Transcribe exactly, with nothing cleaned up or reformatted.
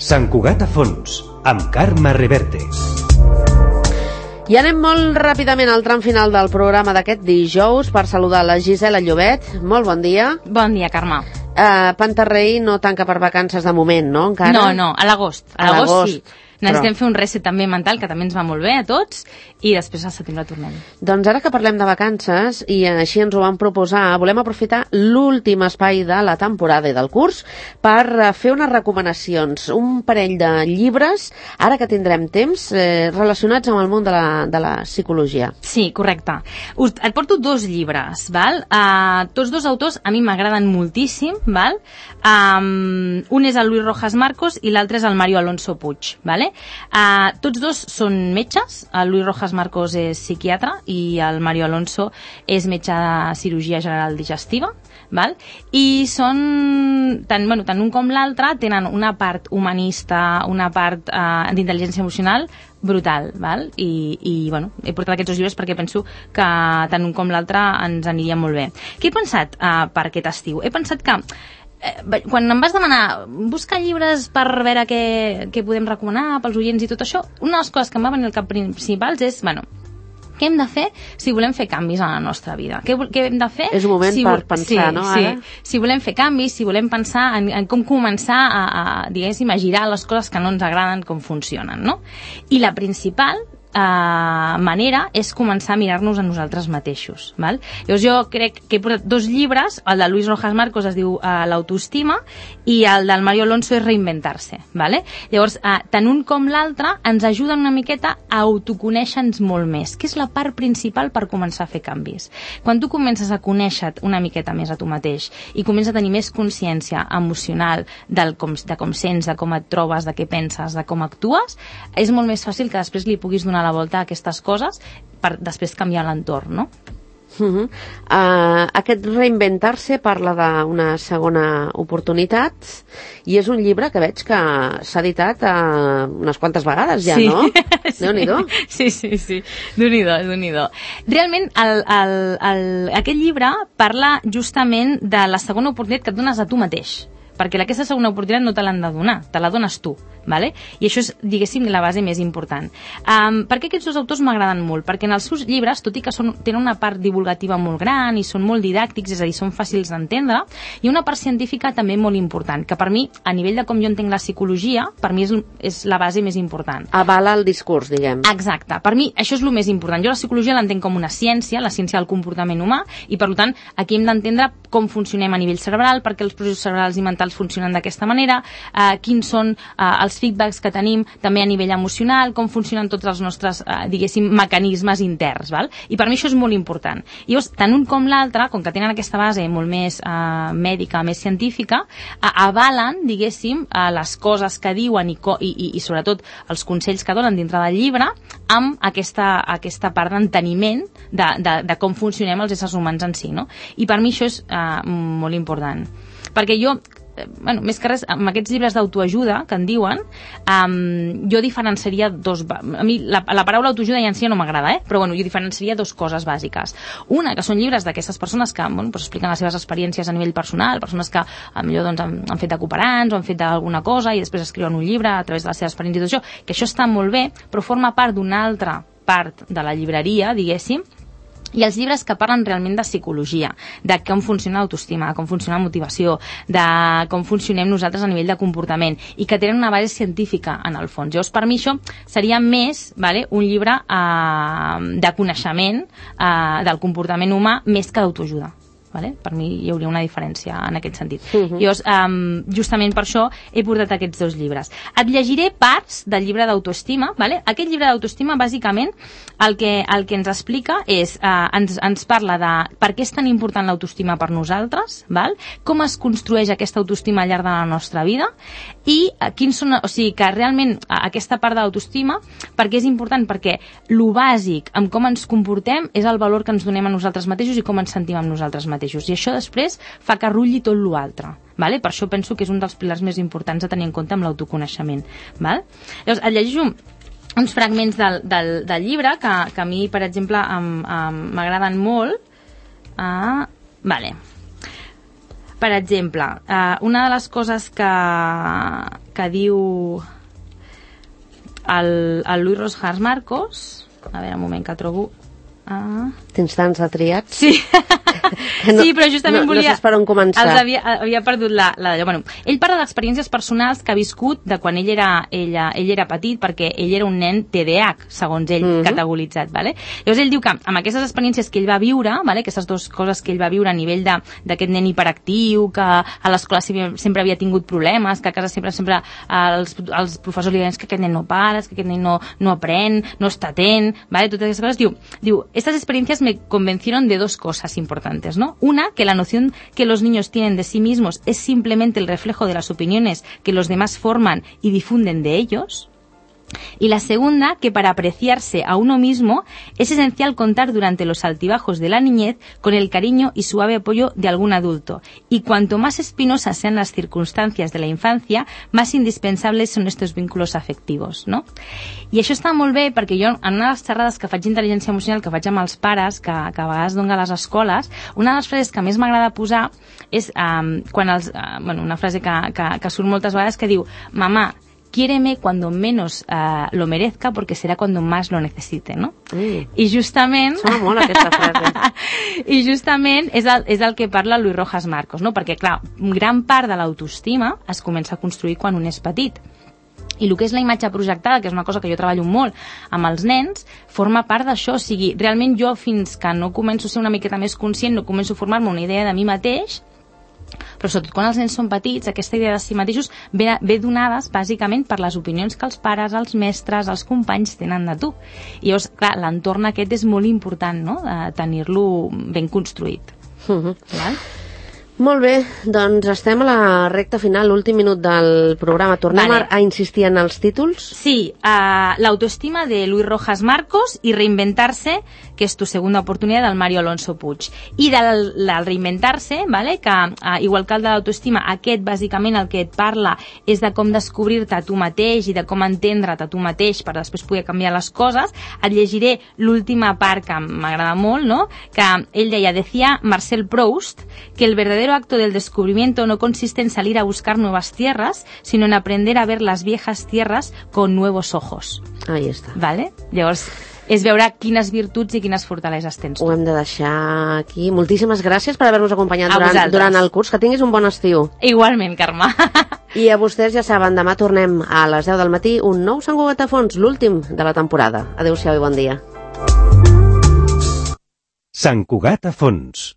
Sant Cugat a fons, amb Carme Reverte. I anem molt ràpidament al tram final del programa d'aquest dijous per saludar la Gisela Llobet. Molt bon dia. Bon dia, Carme. Uh, Pantarrei no tanca per vacances de moment, no? Encara? No, no, a l'agost. A, a l'agost sí. Necessitem però... fer un reset també mental, que també ens va molt bé a tots, i després al setembre tornem. Doncs ara que parlem de vacances, i així ens ho vam proposar, volem aprofitar l'últim espai de la temporada i del curs per fer unes recomanacions, un parell de llibres, ara que tindrem temps, eh, relacionats amb el món de la, de la psicologia. Sí, correcte. Us, et porto dos llibres, val? Uh, tots dos autors a mi m'agraden moltíssim, val? Um, un és el Luis Rojas Marcos i l'altre és el Mario Alonso Puig, vale? Uh, tots dos són metges. El Luis Rojas Marcos és psiquiatre i el Mario Alonso és metge de cirurgia general digestiva, val? I són tant, bueno, tant un com l'altre tenen una part humanista, una part uh, d'intel·ligència emocional brutal, val? I, i bueno, he portat aquests dos llibres perquè penso que tant un com l'altre ens aniria molt bé. Què he pensat uh, per aquest estiu? He pensat que quan em vas demanar buscar llibres per veure què, què podem recomanar pels oients i tot això, una de les coses que em va venir al cap principals és, bueno, què hem de fer si volem fer canvis a la nostra vida? Què, què hem de fer? És un moment si, per pensar, sí, no? Sí. Ara? Si volem fer canvis, si volem pensar en, en com començar a, a, diguéssim, a girar les coses que no ens agraden, com funcionen, no? I la principal Uh, manera és començar a mirar-nos a nosaltres mateixos, val? Llavors jo crec que he portat dos llibres, el de Luis Rojas Marcos es diu uh, L'autoestima i el del Mario Alonso és Reinventar-se, vale? Llavors uh, tant un com l'altre ens ajuden una miqueta a autoconèixer-nos molt més, que és la part principal per començar a fer canvis. Quan tu comences a conèixer-te una miqueta més a tu mateix i comences a tenir més consciència emocional del com, de com sents, de com et trobes, de què penses, de com actues, és molt més fàcil que després li puguis donar la volta a aquestes coses per després canviar l'entorn, no? Uh-huh. Uh, aquest Reinventar-se parla d'una segona oportunitat i és un llibre que veig que s'ha editat uh, unes quantes vegades ja, sí. no? Sí. Déu-n'hi-do. Sí, sí, sí. Déu-n'hi-do, Déu-n'hi-do. Realment, el, el, el, aquest llibre parla justament de la segona oportunitat que et dones a tu mateix, perquè aquesta segona oportunitat no te l'han de donar, te la dones tu, vale? I això és, diguéssim, la base més important. Um, per què aquests dos autors m'agraden molt? Perquè en els seus llibres, tot i que són, tenen una part divulgativa molt gran i són molt didàctics, és a dir, són fàcils d'entendre, i una part científica també molt important, que per mi, a nivell de com jo entenc la psicologia, per mi és, és la base més important. Avala el discurs, diguem. Exacte. Per mi, això és el més important. Jo la psicologia l'entenc com una ciència, la ciència del comportament humà, i per tant, aquí hem d'entendre com funcionem a nivell cerebral, perquè els processos cerebrals i mentals funcionen d'aquesta manera, eh, quins són eh, els feedbacks que tenim també a nivell emocional, com funcionen tots els nostres, eh, diguéssim, mecanismes interns, val? I per mi això és molt important. I llavors, tant un com l'altre, com que tenen aquesta base molt més eh, mèdica, més científica, eh, avalen, diguéssim, eh, les coses que diuen i, co i, i, i sobretot els consells que donen dintre del llibre amb aquesta, aquesta part d'enteniment de, de, de com funcionem els éssers humans en si, no? I per mi això és eh, molt important. Perquè jo, bueno, més que res, amb aquests llibres d'autoajuda que en diuen, um, jo diferenciaria dos... A mi la, la paraula autoajuda ja en si no m'agrada, eh? Però bueno, jo diferenciaria dos coses bàsiques. Una, que són llibres d'aquestes persones que bueno, pues expliquen les seves experiències a nivell personal, persones que millor doncs, han, han fet de cooperants o han fet d'alguna cosa i després escriuen un llibre a través de les seves experiències i tot això, que això està molt bé, però forma part d'una altra part de la llibreria, diguéssim, i els llibres que parlen realment de psicologia, de com funciona l'autoestima, de com funciona la motivació, de com funcionem nosaltres a nivell de comportament i que tenen una base científica en el fons. Llavors, per mi això seria més, vale, un llibre eh, de coneixement eh, del comportament humà més que d'autoajuda. Vale? Per mi hi hauria una diferència en aquest sentit. Uh-huh. Llavors, um, justament per això he portat aquests dos llibres. Et llegiré parts del llibre d'autoestima. Vale? Aquest llibre d'autoestima, bàsicament, el que, el que ens explica és, uh, ens, ens parla de per què és tan important l'autoestima per nosaltres, val? Com es construeix aquesta autoestima al llarg de la nostra vida i uh, quins són, o sigui, que realment uh, aquesta part de l'autoestima, perquè és important, perquè lo bàsic amb com ens comportem és el valor que ens donem a nosaltres mateixos i com ens sentim amb nosaltres mateixos. I això després fa que rulli tot l'altre. Vale? Per això penso que és un dels pilars més importants a tenir en compte amb l'autoconeixement. Val? Llavors, et llegeixo uns fragments del, del, del llibre que, que a mi, per exemple, m'agraden molt. Ah, vale. per exemple, uh, una de les coses que, que diu el, el Luis Rojas Marcos, a veure, un moment que trobo... Uh... Tens tants de triats? Sí, no, sí, però justament no, volia... No saps per on començar. Els havia, havia perdut la... la bueno, ell parla d'experiències personals que ha viscut de quan ell era, ella, ell era petit, perquè ell era un nen T D A H, segons ell, mm-hmm. categoritzat. Vale? Llavors ell diu que amb aquestes experiències que ell va viure, vale? Aquestes dues coses que ell va viure a nivell d'aquest nen hiperactiu, que a l'escola sempre havia tingut problemes, que a casa sempre sempre els, els professors li deien que aquest nen no para, que aquest nen no, no aprèn, no està atent, vale? Totes aquestes coses. Diu, diu, estas experiencias me convencieron de dos cosas importantes, ¿no? Una, que la noción que los niños tienen de sí mismos es simplemente el reflejo de las opiniones que los demás forman y difunden de ellos. Y la segunda, que para apreciarse a uno mismo es esencial contar durante los altibajos de la niñez con el cariño y suave apoyo de algún adulto. Y cuanto más espinosas sean las circunstancias de la infancia, más indispensables son estos vínculos afectivos, no? I això està molt bé perquè jo, en una de les xerrades que faig d'intel·ligència emocional, que faig amb els pares, que, que a vegades dono a les escoles, una de les frases que més m'agrada posar és um, quan els, uh, bueno, una frase que, que, que surt moltes vegades que diu: mamà, quiéreme cuando menos uh, lo merezca porque será cuando más lo necesite, no? Mm. I justament... Sona molt aquesta frase. I justament és el, és el que parla Luis Rojas Marcos, no? Perquè, clar, gran part de l'autoestima es comença a construir quan un és petit. I el que és la imatge projectada, que és una cosa que jo treballo molt amb els nens, forma part d'això. O sigui, realment jo, fins que no començo a ser una miqueta més conscient, no començo a formar-me una idea de mi mateix, però sobretot quan els nens són petits, aquesta idea de si mateixos ve, ve donades bàsicament per les opinions que els pares, els mestres, els companys tenen de tu. I llavors, clar, l'entorn aquest és molt important, no?, de tenir-lo ben construït. Uh-huh. Val? Molt bé, doncs estem a la recta final, l'últim minut del programa. Tornem vale. a, a insistir en els títols? Sí, uh, l'autoestima de Luis Rojas Marcos i Reinventarse, que és tu segunda oportunitat, del Mario Alonso Puig. I del, del Reinventarse, vale, que uh, igual que el de l'autoestima, aquest bàsicament el que et parla és de com descobrir-te a tu mateix i de com entendre't a tu mateix per després poder canviar les coses. Et llegiré l'última part que m'agrada molt, no?, que ell deia, decía Marcel Proust, que el verdadero acto del descubrimiento no consiste en salir a buscar nuevas tierras, sino en aprender a ver las viejas tierras con nuevos ojos. Ahí està. Vale? Llavors, és veure quines virtuts i quines fortaleses tens. Ho hem de deixar aquí. Moltíssimes gràcies per haver-nos acompanyat a durant, vosaltres. durant el curs. Que tinguis un bon estiu. Igualment, Carme. I a vostès ja saben, demà tornem a les deu del matí, un nou Sant Cugat a Fons, l'últim de la temporada. Adéu-siau i bon dia. Sant Cugat a Fons.